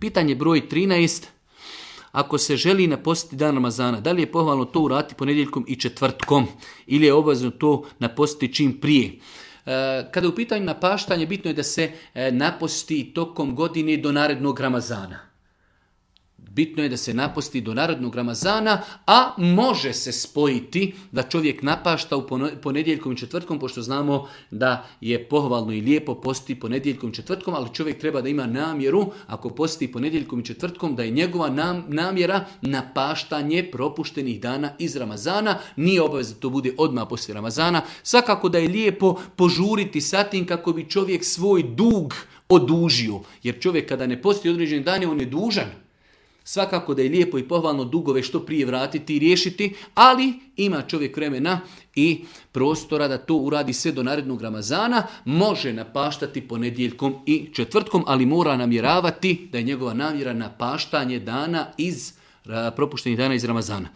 Pitanje broj 13. Ako se želi napostiti dan Ramazana, da li je pohvalno to uraditi ponedjeljkom i četvrtkom ili je obavezno to napostiti čim prije? Kada je u pitanju napaštanje, bitno je da se naposti tokom godine do narednog Ramazana. Bitno je da se naposti do narednog Ramazana, a može se spojiti da čovjek napašta u ponedjeljkom i četvrtkom, pošto znamo da je pohvalno i lijepo postiti ponedjeljkom i četvrtkom, ali čovjek treba da ima namjeru, ako posti ponedjeljkom i četvrtkom, da je njegova namjera napaštanje propuštenih dana iz Ramazana. Nije obavezno da to bude odmah poslije Ramazana. Svakako da je lijepo požuriti sa tim kako bi čovjek svoj dug odužio. Jer čovjek kada ne posti određeni dan, on je dužan. Svakako da je lijepo i pohvalno dugove što prije vratiti i riješiti, ali ima čovjek vremena i prostora da to uradi sve do narednog Ramazana. Može napaštati ponedjeljkom i četvrtkom, ali mora namjeravati da je njegova namjera napaštanje dana propuštenih dana iz Ramazana.